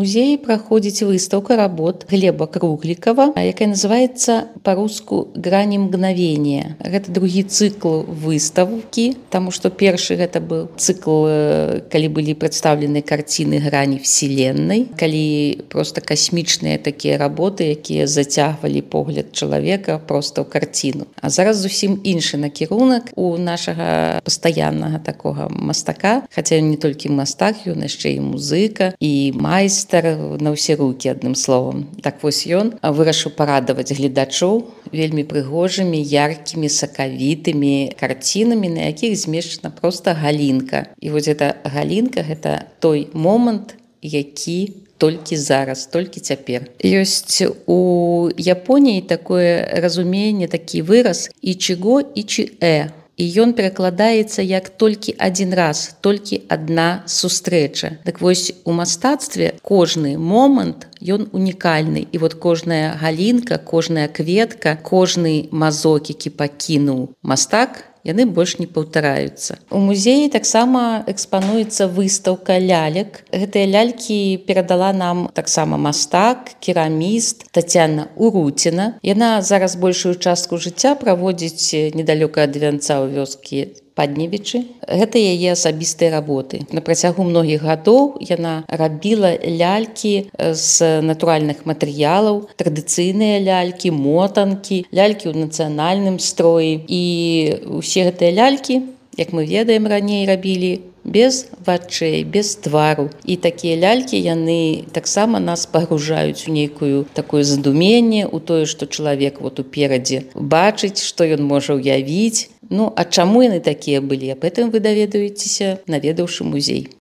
музеі праходзіць выстаўка работ Глеба Круглікава, якая называецца па-руску «Грані мгновения». Гэта другі цыкл выставкі, таму што першы гэта быў цыкл, калі былі прадстаўлены карціны грані вселенной, калі проста касмічныя такія работы, якія зацягвалі погляд чалавека проста ў карціну. А зараз зусім іншы накірунак у нашага пастаяннага такога мастака, хаця не толькі мастак, ён яшчэ і музыка, і майстар на ўсе рукі, адным словам. Так вось ён вырашыў парадаваць гледачоў вельмі прыгожымі, яркімі, сакавітымі карцінамі, на якіх змешчана проста галінка. І вось эта галінка — гэта той момант, які толькі зараз, толькі цяпер. Ёсць у Японіі такое разуменне, такі выраз «ичиго ичи-э». І ён перакладаецца як толькі адзін раз, толькі адна сустрэча. Так вось у мастацтве кожны момант ён унікальны. І вот кожная галінка, кожная кветка, кожны мазок, які пакінуў мастак, яны больш не паўтараюцца. У музеі таксама экспануецца выстаўка лялек. Гэтыя лялькі перадала нам таксама мастак, кераміст Тацяна Уруціна. Яна зараз большую частку жыцця праводзіць недалёка ад вянца ў вёскі Падневічы. Гэта яе асабістыя работы. На працягу многіх гадоў яна рабіла лялькі з натуральных матэрыялаў, традыцыйныя лялькі, мотанкі, лялькі ў нацыянальным строі. І ўсе гэтыя лялькі, як мы ведаем, раней рабілі без вачэй, без твару. І такія лялькі, яны таксама нас пагружаюць у нейкую такое задуменне, у тое, што чалавек вот уперадзе бачыць, што ён можа ўявіць. Ну, а чаму яны такія былі? Аб гэтым вы даведаецеся, наведаўшы музей.